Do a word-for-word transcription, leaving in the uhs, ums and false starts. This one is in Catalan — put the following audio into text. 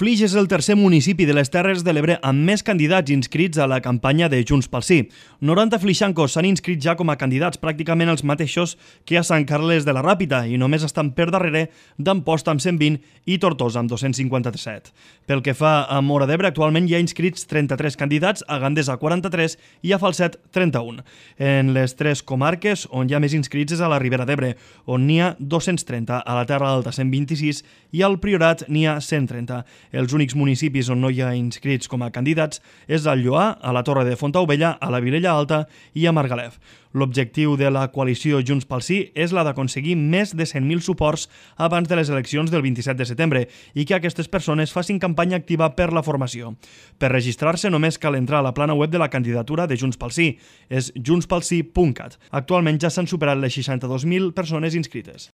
Flix és el tercer municipi de les Terres de l'Ebre amb més candidats inscrits a la campanya de Junts pel Sí. noranta flixancos s'han inscrit ja com a candidats, pràcticament els mateixos que a Sant Carles de la Ràpita, i només estan per darrere d'Amposta amb cent vint i Tortosa amb dos-cents cinquanta-set. Pel que fa a Móra d'Ebre, actualment hi ha inscrits trenta-tres candidats, a Gandesa quaranta-tres i a Falset trenta-un. En les tres comarques on hi ha més inscrits és a la Ribera d'Ebre, on n'hi ha dos-cents trenta, a la Terra Alta cent vint-i-sis i al Priorat n'hi ha cent trenta. Els únics municipis on no hi ha inscrits com a candidats és al Lloar, a la Torre de Fontaubella, a la Vilella Alta i a Margalef. L'objectiu de la coalició Junts pel Sí és la d'aconseguir més de cent mil suports abans de les eleccions del vint-i-set de setembre i que aquestes persones facin campanya activa per la formació. Per registrar-se només cal entrar a la plana web de la candidatura de Junts pel Sí. És junts pel sí punt cat. Actualment ja s'han superat les seixanta-dos mil persones inscrites.